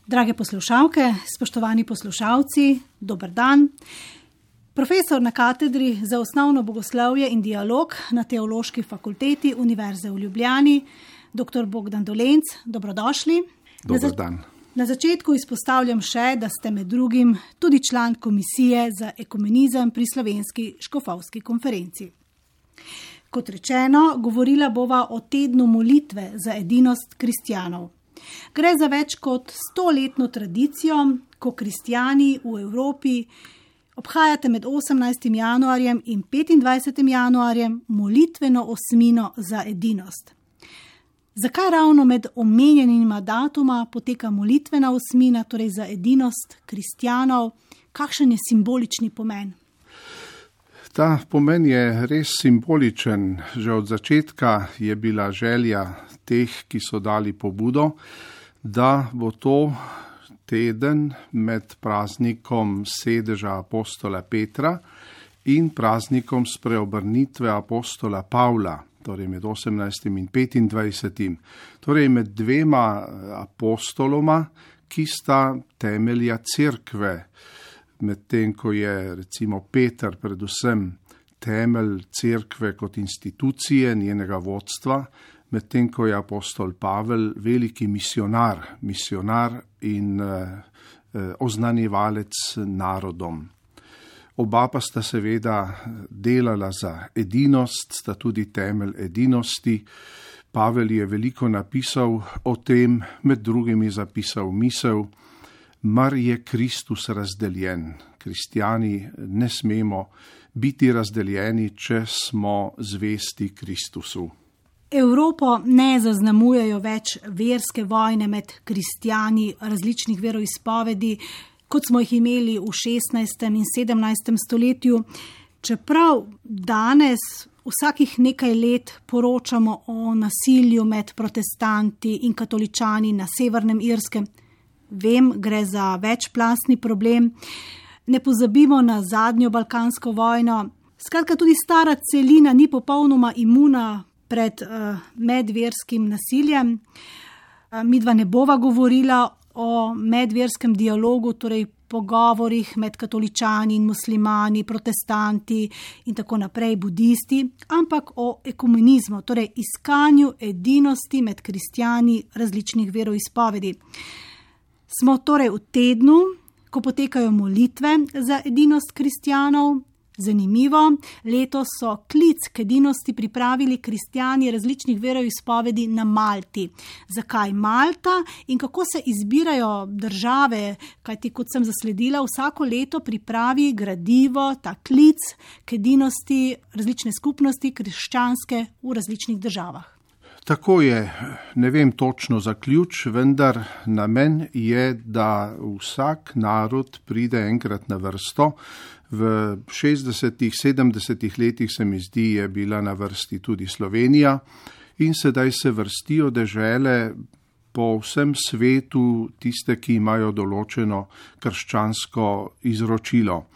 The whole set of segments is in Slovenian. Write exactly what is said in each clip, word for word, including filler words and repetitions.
Drage poslušalke, spoštovani poslušalci, dober dan. Profesor na katedri za osnovno bogoslovje in dialog na Teološki fakulteti Univerze v Ljubljani, doktor Bogdan Dolenc, dobrodošli. Dober dan. Na začetku izpostavljam še, da ste med drugim tudi član Komisije za ekumenizem pri Slovenski škofovski konferenci. Kot rečeno, govorila bova o tednu molitve za edinost kristjanov. Gre za več kot stoletno tradicijo, ko kristjani v Evropi obhajate med osemnajstim januarjem in petindvajsetim januarjem molitveno osmino za edinost. Zakaj ravno med omenjenima datuma poteka molitvena osmina, torej za edinost kristjanov? Kakšen je simbolični pomen? Ta pomen je res simboličen. Že od začetka je bila želja teh, ki so dali pobudo, da bo to teden med praznikom sedeža apostola Petra in praznikom spreobrnitve apostola Pavla, torej med osemnajstim in petindvajsetim, torej med dvema apostoloma, ki sta temelja cerkve, medtem ko je recimo Peter predvsem temelj cerkve kot institucije, njenega vodstva, medtem ko je apostol Pavel veliki misionar, misionar in eh, oznanjevalec narodom. Oba pa sta seveda delala za edinost, sta tudi temelj edinosti. Pavel je veliko napisal o tem, med drugim je zapisal misel: mar je Kristus razdeljen. Kristjani ne smemo biti razdeljeni, če smo zvesti Kristusu. Evropo ne zaznamujejo več verske vojne med kristjani različnih veroizpovedi, kot smo jih imeli v šestnajstem in sedemnajstem stoletju, čeprav danes vsakih nekaj let poročamo o nasilju med protestanti in katoličani na Severnem Irskem. Vem, gre za večplastni problem. Ne pozabimo na zadnjo balkansko vojno. Skratka, tudi stara celina ni popolnoma imuna pred uh, medverskim nasiljem. Uh, midva ne bova govorila o medverskem dialogu, torej pogovorih med katoličani in muslimani, protestanti in tako naprej, budisti, ampak o ekumenizmu, torej iskanju edinosti med kristjani različnih veroizpovedi. Smo torej v tednu, ko potekajo molitve za edinost kristjanov. Zanimivo, letos so klic k edinosti pripravili kristjani različnih veroizpovedi na Malti. Zakaj Malta in kako se izbirajo države, kajti kot sem zasledila, vsako leto pripravi gradivo, ta klic k edinosti različne skupnosti krščanske v različnih državah. Tako je, ne vem točno za ključ, vendar namen je, da vsak narod pride enkrat na vrsto. V šestdesetih, sedemdesetih letih se mi zdi, je bila na vrsti tudi Slovenija in sedaj se vrstijo dežele po vsem svetu, tiste, ki imajo določeno krščansko izročilo.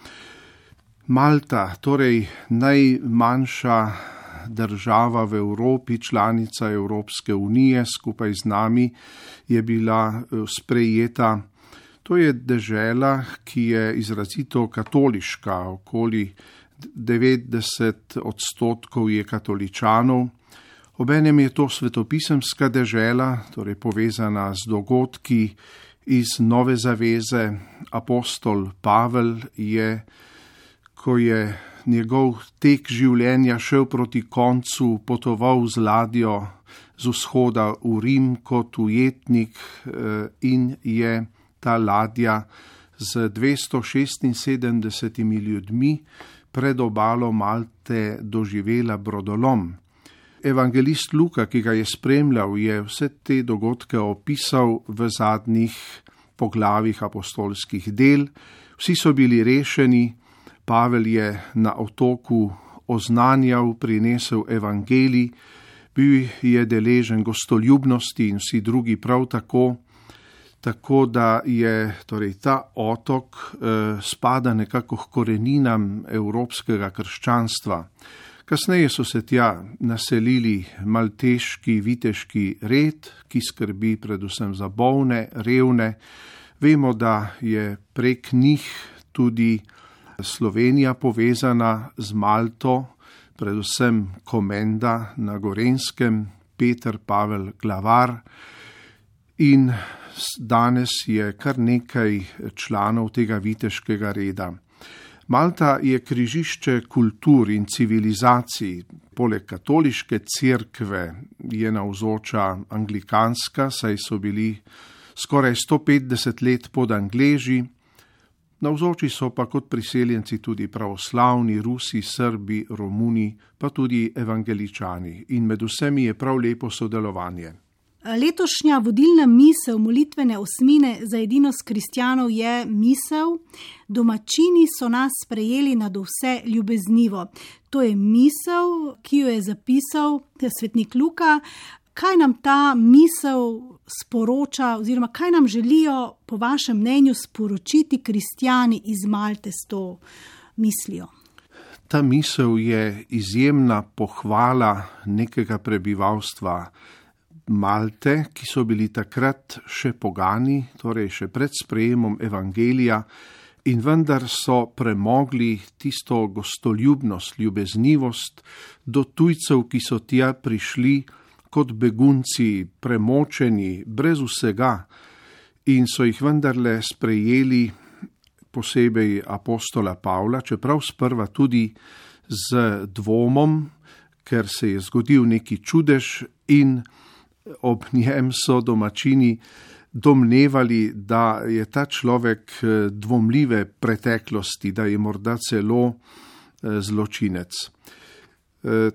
Malta, torej najmanjša država v Evropi, članica Evropske unije, skupaj z nami je bila sprejeta. To je dežela, ki je izrazito katoliška, okoli devetdeset odstotkov je katoličanov. Obenem je to svetopisemska dežela, torej povezana z dogodki iz Nove zaveze. Apostol Pavel je, ko je njegov tek življenja šel proti koncu, potoval z ladjo z vzhoda v Rim kot ujetnik in je ta ladja z dvesto šestinsedemdesetimi ljudmi pred obalo Malte doživela brodolom. Evangelist Luka, ki ga je spremljal, je vse te dogodke opisal v zadnjih poglavjih apostolskih del. Vsi so bili rešeni, Pavel je na otoku oznanjal, prinesel evangelij, bil je deležen gostoljubnosti in vsi drugi prav tako. Tako da je torej ta otok eh, spada nekako k koreninam evropskega krščanstva. Kasneje so se tja naselili malteški viteški red, ki skrbi predvsem za bolne, revne, Vemo, da je prek njih tudi Slovenija povezana z Malto, predvsem Komenda na Gorenjskem, Peter Pavel Glavar, in danes je kar nekaj članov tega viteškega reda. Malta je križišče kultur in civilizacij. Poleg katoliške cerkve je navzoča anglikanska, saj so bili skoraj sto petdeset let pod Angleži. Navzoči so pa kot priseljenci tudi pravoslavni, Rusi, Srbi, Romuni, pa tudi evangeličani. In med vsemi je prav lepo sodelovanje. Letošnja vodilna misel molitvene osmine za edinost kristjanov je misel: domačini so nas sprejeli nadvse ljubeznivo. To je misel, ki jo je zapisal svetnik Luka. Kaj nam ta misel sporoča oziroma kaj nam želijo po vašem mnenju sporočiti kristjani iz Malte s to mislijo? Ta misel je izjemna pohvala nekega prebivalstva Malte, ki so bili takrat še pogani, torej še pred sprejemom evangelija, in vendar so premogli tisto gostoljubnost, ljubeznivost do tujcev, ki so tja prišli kot begunci, premočeni, brez vsega, in so jih vendarle sprejeli, posebej apostola Pavla, čeprav sprva tudi z dvomom, ker se je zgodil neki čudež in ob njem so domačini domnevali, da je ta človek dvomljive preteklosti, da je morda celo zločinec.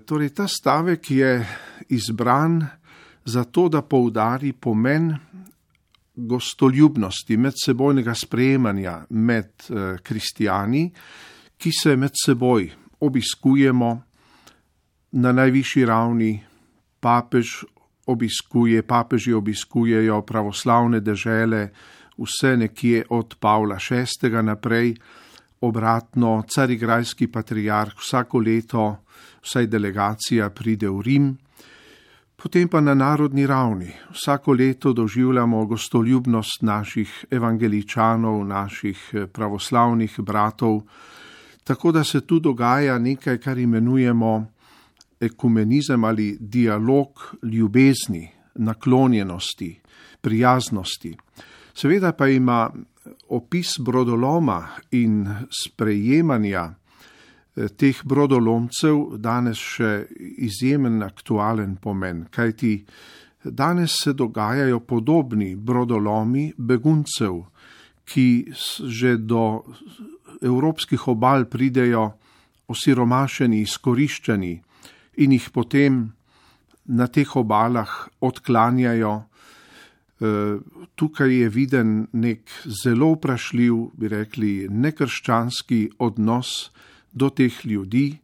Torej, ta stavek je izbran zato, da poudari pomen gostoljubnosti, medsebojnega sprejemanja med kristjani, ki se med seboj obiskujemo na najvišji ravni. Papež obiskuje, papeži obiskujejo pravoslavne dežele, vse nekje od Pavla šestega naprej, obratno, carigrajski patriarh vsako leto, vsaj delegacija pride v Rim, potem pa na narodni ravni. Vsako leto doživljamo gostoljubnost naših evangeličanov, naših pravoslavnih bratov, tako da se tu dogaja nekaj, kar imenujemo ekumenizem ali dialog ljubezni, naklonjenosti, prijaznosti. Seveda pa ima opis brodoloma in sprejemanja teh brodolomcev danes še izjemen aktualen pomen, kajti danes se dogajajo podobni brodolomi beguncev, ki že do evropskih obal pridejo osiromašeni, izkoriščeni in jih potem na teh obalah odklanjajo. Tukaj je viden nek zelo vprašljiv, bi rekli, nekrščanski odnos do teh ljudi,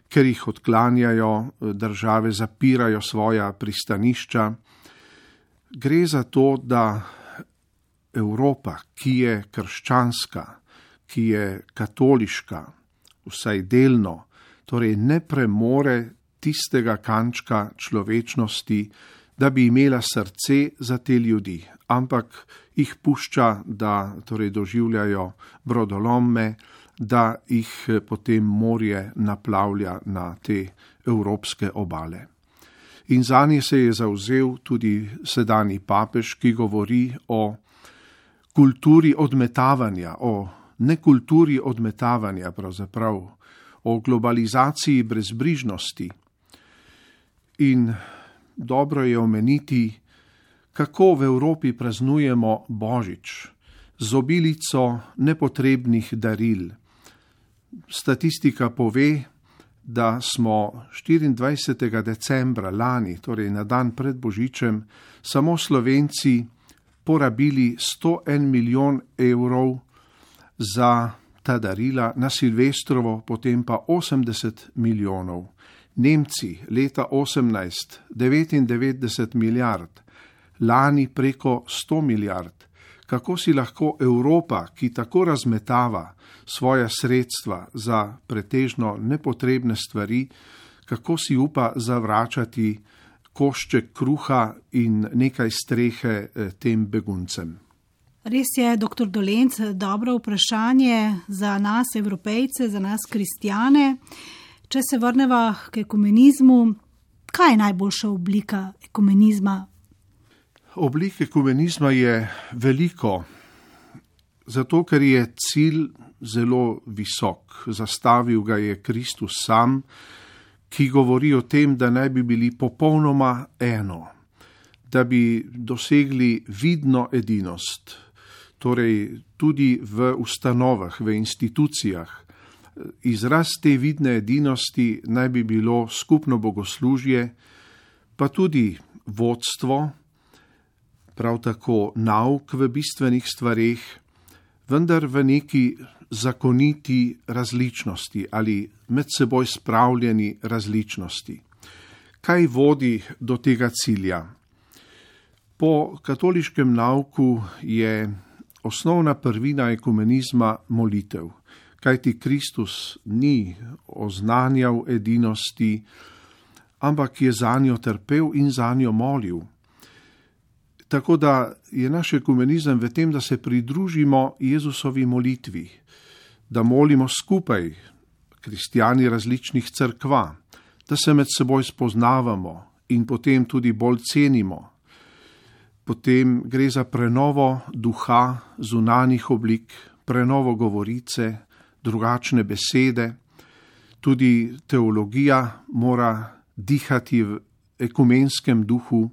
ker jih odklanjajo, države zapirajo svoja pristanišča. Gre za to, da Evropa, ki je krščanska, ki je katoliška, vsaj delno, torej ne premore tistega kančka človečnosti, da bi imela srce za te ljudi, ampak jih pušča, da torej doživljajo brodolome, da jih potem morje naplavlja na te evropske obale. In zanje se je zavzel tudi sedanji papež, ki govori o kulturi odmetavanja, o nekulturi odmetavanja pravzaprav, o globalizaciji brezbrižnosti. In dobro je omeniti, kako v Evropi praznujemo Božič z obilico nepotrebnih daril. Statistika pove, da smo štiriindvajsetega decembra lani, torej na dan pred Božičem, samo Slovenci porabili sto en milijon evrov za ta darila, na Silvestrovo potem pa osemdeset milijonov. Nemci leta osemnajst devetindevetdeset milijard, lani preko sto milijard. Kako si lahko Evropa, ki tako razmetava svoja sredstva za pretežno nepotrebne stvari, kako si upa zavračati košček kruha in nekaj strehe tem beguncem? Res je, doktor Dolenc, dobro vprašanje za nas, Evropejce, za nas, kristjane. Če se vrneva k ekumenizmu, kaj je najboljša oblika ekumenizma? Oblik ekumenizma je veliko, zato ker je cilj zelo visok. Zastavil ga je Kristus sam, ki govori o tem, da naj bi bili popolnoma eno, da bi dosegli vidno edinost, torej tudi v ustanovah, v institucijah. Izraz te vidne edinosti naj bi bilo skupno bogoslužje, pa tudi vodstvo, prav tako nauk v bistvenih stvareh, vendar v neki zakoniti različnosti ali med seboj spravljeni različnosti. Kaj vodi do tega cilja? Po katoliškem nauku je osnovna prvina ekumenizma molitev, kajti Kristus ni oznanjal edinosti, ampak je zanjo trpel in zanjo molil. Tako da je naš ekumenizem v tem, da se pridružimo Jezusovi molitvi, da molimo skupaj, kristjani različnih cerkva, da se med seboj spoznavamo in potem tudi bolj cenimo. Potem gre za prenovo duha, zunanjih oblik, prenovo govorice, drugačne besede. Tudi teologija mora dihati v ekumenskem duhu.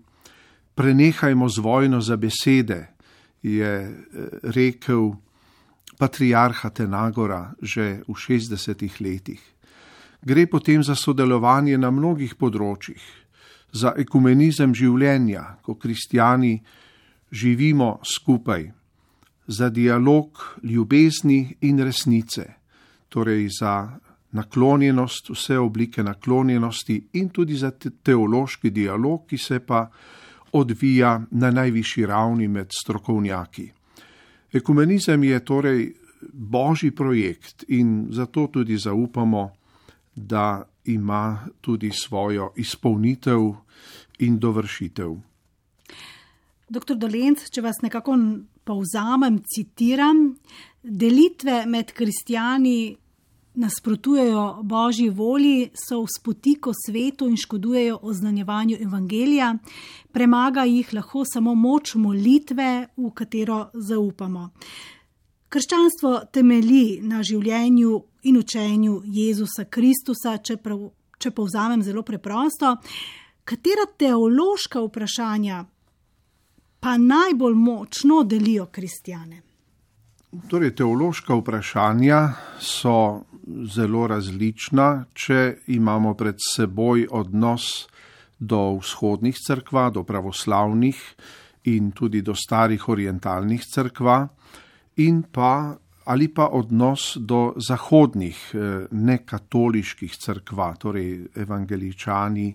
Prenehajmo z vojno za besede, je rekel patriarh Atenagora že v šestdesetih letih. Gre potem za sodelovanje na mnogih področjih, za ekumenizem življenja, ko kristjani živimo skupaj, za dialog ljubezni in resnice, torej za naklonjenost, vse oblike naklonjenosti in tudi za teološki dialog, ki se pa odvija na najvišji ravni med strokovnjaki. Ekumenizem je torej božji projekt in zato tudi zaupamo, da ima tudi svojo izpolnitev in dovršitev. Doktor Dolenc, če vas nekako povzamem, citiram, delitve med kristjani nasprotujejo božji volji, so v spotiku svetu in škodujejo oznanjevanju evangelija, premaga jih lahko samo moč molitve, v katero zaupamo. Krščanstvo temelji na življenju in učenju Jezusa Kristusa, če, prav, če povzamem zelo preprosto. Katera teološka vprašanja pa najbolj močno delijo kristjane? Torej, teološka vprašanja so zelo različna, če imamo pred seboj odnos do vzhodnih cerkva, do pravoslavnih in tudi do starih orientalnih cerkva, in pa ali pa odnos do zahodnih, nekatoliških cerkva, torej evangeličani,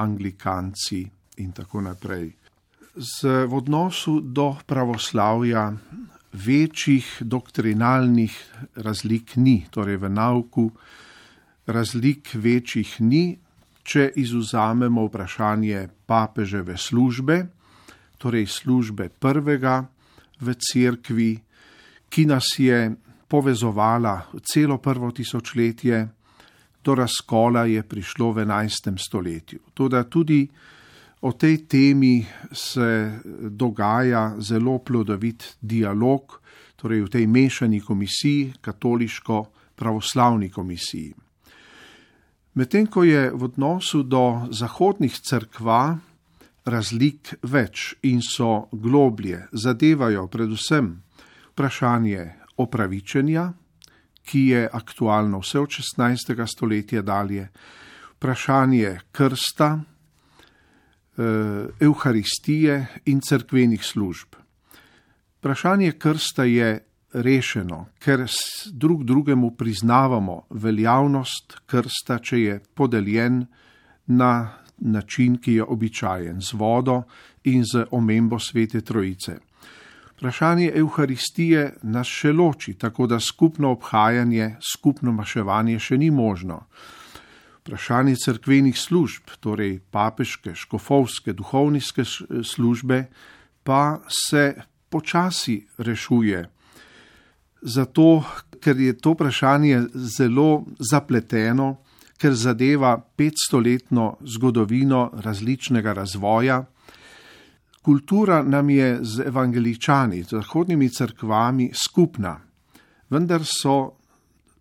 anglikanci in tako naprej. Z, v odnosu do pravoslavja večjih doktrinalnih razlik ni, torej v nauku razlik večjih ni, če izvzamemo vprašanje papeževe službe, torej službe prvega v cerkvi, ki nas je povezovala celo prvo tisočletje, do razkola je prišlo v enajstem stoletju. Toda tudi o tej temi se dogaja zelo plodovit dialog, torej v tej mešani komisiji, katoliško-pravoslavni komisiji. Medtem ko je v odnosu do zahodnih cerkva razlik več in so globlje, zadevajo predvsem vprašanje opravičenja, ki je aktualno vse od šestnajstega stoletja dalje, vprašanje krsta, Evharistije in cerkvenih služb. Vprašanje krsta je rešeno, ker drug drugemu priznavamo veljavnost krsta, če je podeljen na način, ki je običajen, z vodo in z omembo Svete Trojice. Vprašanje Evharistije nas še loči, tako da skupno obhajanje, skupno maševanje še ni možno. Vprašanje cerkvenih služb, torej papeške, škofovske, duhovniške službe, pa se počasi rešuje. Zato, ker je to vprašanje zelo zapleteno, ker zadeva petstoletno zgodovino različnega razvoja. Kultura nam je z evangeličani, z zahodnimi cerkvami skupna, vendar so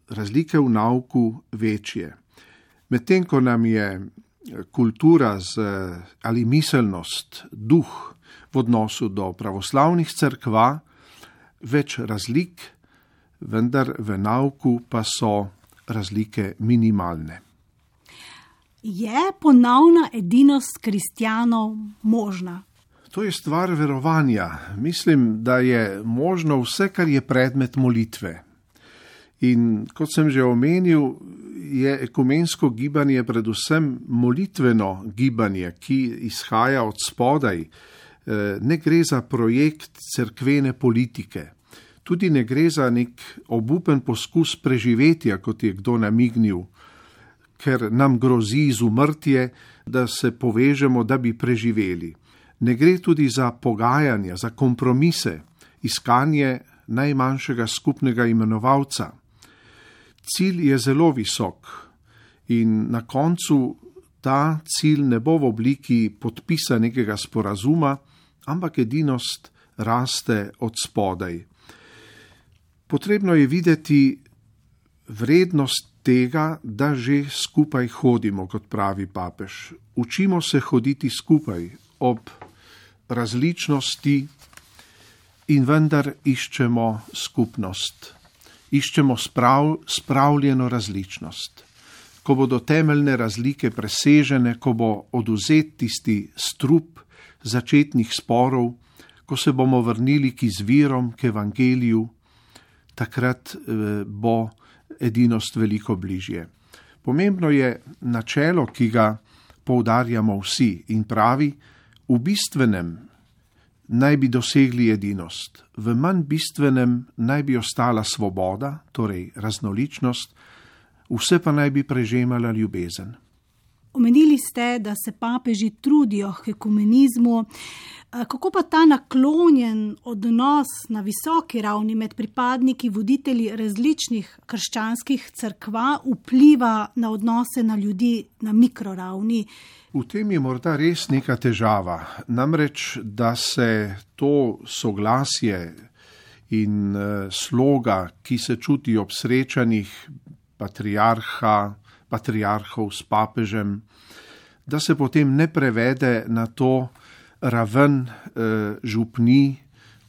razlike v nauku večje. Medtem ko nam je kultura z, ali miselnost, duh v odnosu do pravoslavnih cerkva več razlik, vendar v nauku pa so razlike minimalne. Je ponovna edinost kristjanov možna? To je stvar verovanja. Mislim, da je možno vse, kar je predmet molitve. In kot sem že omenil, je ekumensko gibanje predvsem molitveno gibanje, ki izhaja od spodaj. Ne gre za projekt cerkvene politike. Tudi ne gre za nek obupen poskus preživetja, kot je kdo namignil, ker nam grozi izumrtje, da se povežemo, da bi preživeli. Ne gre tudi za pogajanja, za kompromise, iskanje najmanjšega skupnega imenovalca. Cilj je zelo visok in na koncu ta cilj ne bo v obliki podpisa nekega sporazuma, ampak edinost raste od spodaj. Potrebno je videti vrednost tega, da že skupaj hodimo, kot pravi papež. Učimo se hoditi skupaj ob različnosti in vendar iščemo skupnost. Iščemo sprav, spravljeno različnost. Ko bodo temeljne razlike presežene, ko bo odvzet tisti strup začetnih sporov, ko se bomo vrnili k izvirom, k evangeliju, takrat bo edinost veliko bližje. Pomembno je načelo, ki ga poudarjamo vsi in pravi, v bistvenem naj bi dosegli edinost, v manj bistvenem naj bi ostala svoboda, torej raznoličnost, vse pa naj bi prežemala ljubezen. Omenili ste, da se papeži trudijo k ekumenizmu. Kako pa ta naklonjen odnos na visoki ravni med pripadniki, voditelji različnih krščanskih cerkva vpliva na odnose na ljudi na mikroravni? V tem je morda res neka težava. Namreč, da se to soglasje in sloga, ki se čuti ob srečanjih patriarha, patriarhov s papežem, da se potem ne prevede na to raven eh, župni,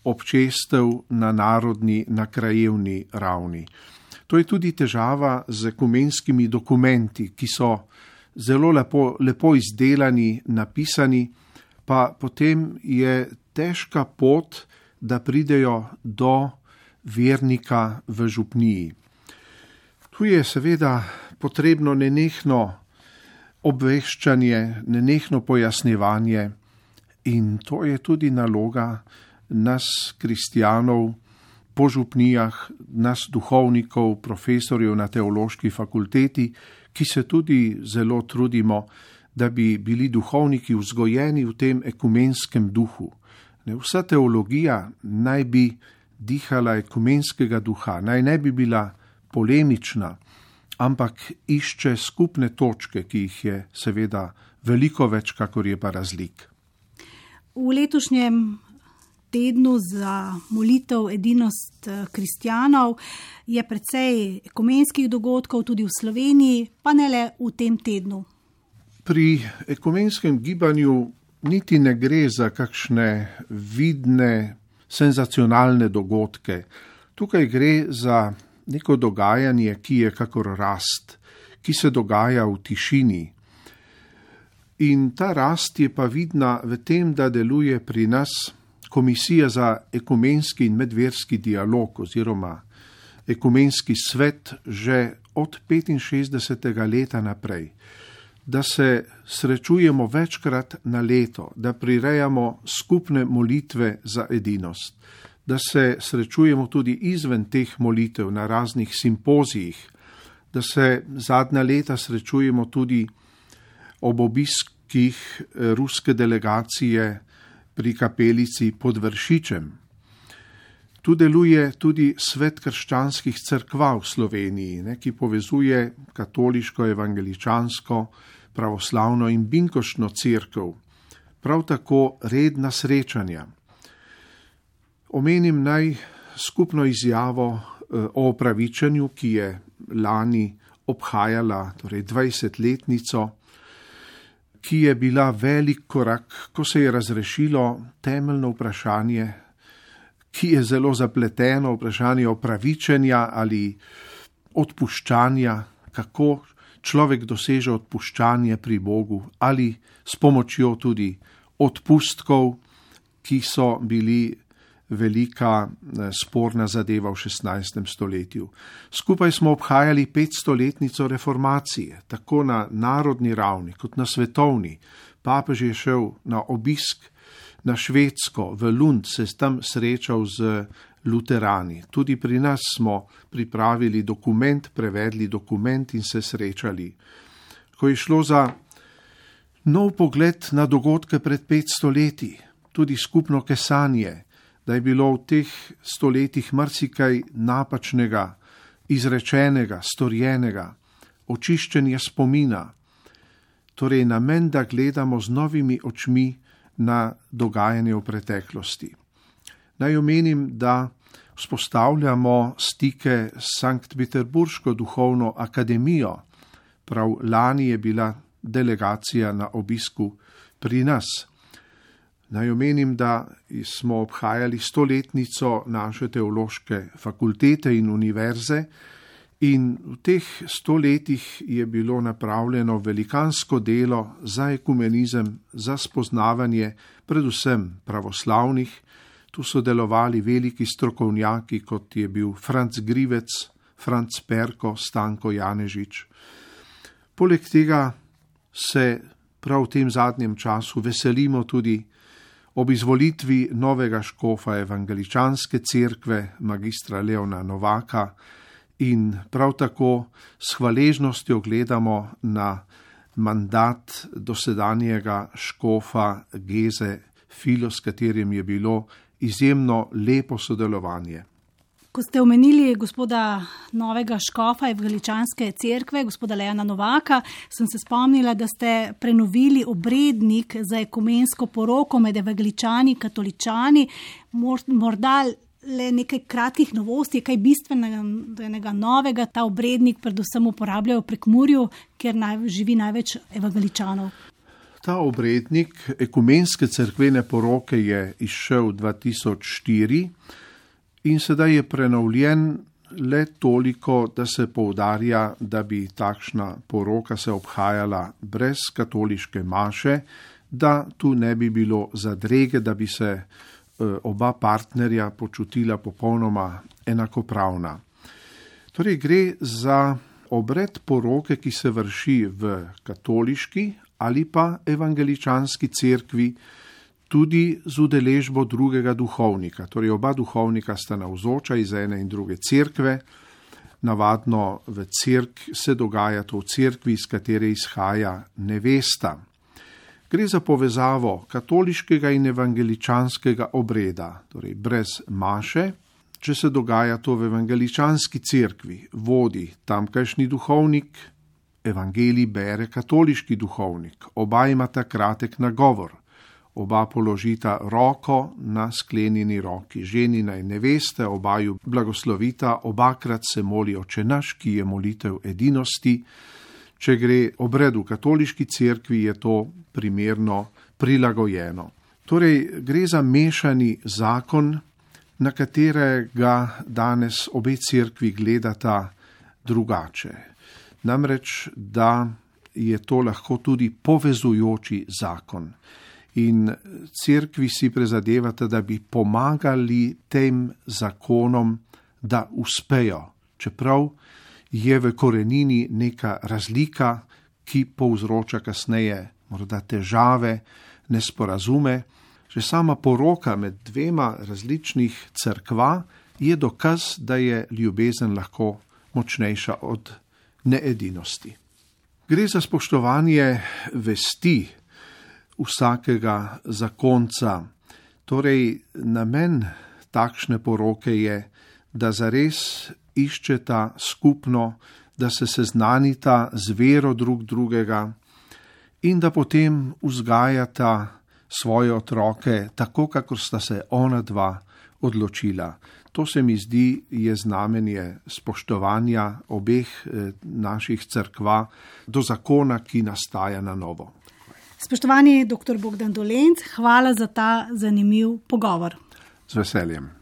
občestev na narodni, na krajevni ravni. To je tudi težava z ekumenskimi dokumenti, ki so zelo lepo, lepo izdelani, napisani, pa potem je težka pot, da pridejo do vernika v župniji. Tu je seveda potrebno nenehno obveščanje, nenehno pojasnjevanje in to je tudi naloga nas, kristjanov, po župnijah, nas, duhovnikov, profesorjev na teološki fakulteti, ki se tudi zelo trudimo, da bi bili duhovniki vzgojeni v tem ekumenskem duhu. Vsa teologija naj bi dihala ekumenskega duha, naj ne bi bila polemična, ampak išče skupne točke, ki jih je seveda veliko več, kakor je pa razlik. V letošnjem tednu za molitev edinost kristjanov je precej ekumenskih dogodkov tudi v Sloveniji, pa ne le v tem tednu. Pri ekumenskem gibanju niti ne gre za kakšne vidne, senzacionalne dogodke. Tukaj gre za neko dogajanje, ki je kakor rast, ki se dogaja v tišini. In ta rast je pa vidna v tem, da deluje pri nas Komisija za ekumenski in medverski dialog oziroma ekumenski svet že od petinšestdesetega leta naprej, da se srečujemo večkrat na leto, da prirejamo skupne molitve za edinost, da se srečujemo tudi izven teh molitev na raznih simpozijih, da se zadnja leta srečujemo tudi ob obiskih ruske delegacije pri kapelici pod Vršičem. Tu deluje tudi Svet krščanskih cerkva v Sloveniji, ne, ki povezuje katoliško, evangeličansko, pravoslavno in binkoštno cerkev. Prav tako redna srečanja. Omenim naj skupno izjavo o opravičenju, ki je lani obhajala torej dvajsetletnico, ki je bila velik korak, ko se je razrešilo temeljno vprašanje, ki je zelo zapleteno, vprašanje opravičenja ali odpuščanja, kako človek doseže odpuščanje pri Bogu ali s pomočjo tudi odpustkov, ki so bili velika sporna zadeva v šestnajstem stoletju. Skupaj smo obhajali petstoletnico reformacije, tako na narodni ravni kot na svetovni. Papež je šel na obisk na Švedsko, v Lund, se tam srečal z luterani. Tudi pri nas smo pripravili dokument, prevedli dokument in se srečali. Ko je šlo za nov pogled na dogodke pred petsto leti, tudi skupno kesanje, da je bilo v teh stoletjih marsikaj napačnega, izrečenega, storjenega, očiščenje spomina. Torej namen, da gledamo z novimi očmi na dogajanje v preteklosti. Naj omenim, da vzpostavljamo stike s Sankt-Peterburško duhovno akademijo. Prav lani je bila delegacija na obisku pri nas. Naj omenim, da smo obhajali stoletnico naše teološke fakultete in univerze in v teh stoletjih je bilo napravljeno velikansko delo za ekumenizem, za spoznavanje predvsem pravoslavnih. Tu so delovali veliki strokovnjaki, kot je bil Franc Grivec, Franc Perko, Stanko Janežič. Poleg tega se prav v tem zadnjem času veselimo tudi ob izvolitvi novega škofa evangeličanske cerkve, magistra Leona Novaka, in prav tako s hvaležnostjo gledamo na mandat dosedanjega škofa Geze Filo, s katerim je bilo izjemno lepo sodelovanje. Ko ste omenili gospoda novega škofa evangeličanske cerkve, gospoda Leona Novaka, sem se spomnila, da ste prenovili obrednik za ekumensko poroko med evangeličani in katoličani. Morda le nekaj kratkih novosti, kaj bistvenega novega ta obrednik predvsem uporabljajo v Prekmurju, kjer naj, živi največ evangeličanov. Ta obrednik ekumenske cerkvene poroke je izšel dva tisoč štiri in sedaj je prenovljen le toliko, da se poudarja, da bi takšna poroka se obhajala brez katoliške maše, da tu ne bi bilo zadrege, da bi se oba partnerja počutila popolnoma enakopravna. Torej gre za obred poroke, ki se vrši v katoliški ali pa evangeličanski cerkvi, tudi z udeležbo drugega duhovnika. Torej oba duhovnika sta navzoča iz ene in druge cerkve. Navadno v cerk se dogaja to v cerkvi, iz katere izhaja nevesta. Gre za povezavo katoliškega in evangeličanskega obreda, torej brez maše. Če se dogaja to v evangeličanski cerkvi, vodi tamkajšnji duhovnik, evangelij bere katoliški duhovnik, oba imata kratek nagovor, oba položita roko na sklenjeni roki ženina in neveste, obaju blagoslovita, obakrat se moli Oče naš, ki je molitev edinosti. Če gre obred v katoliški cerkvi, je to primerno prilagojeno. Torej, gre za mešani zakon, na katerega danes obe cerkvi gledata drugače. Namreč, da je to lahko tudi povezujoči zakon. In cerkvi si prizadevata, da bi pomagali tem zakonom, da uspejo, čeprav je v korenini neka razlika, ki povzroča kasneje morda težave, nesporazume. Že sama poroka med dvema različnih cerkva je dokaz, da je ljubezen lahko močnejša od needinosti. Gre za spoštovanje vesti vsakega zakonca. Torej, namen takšne poroke je, da zares iščeta skupno, da se seznanita z vero drug drugega in da potem vzgajata svoje otroke tako, kakor sta se ona dva odločila. To se mi zdi je znamenje spoštovanja obeh eh, naših cerkva do zakona, ki nastaja na novo. Spoštovani doktor Bogdan Dolenc, hvala za ta zanimiv pogovor. Z veseljem.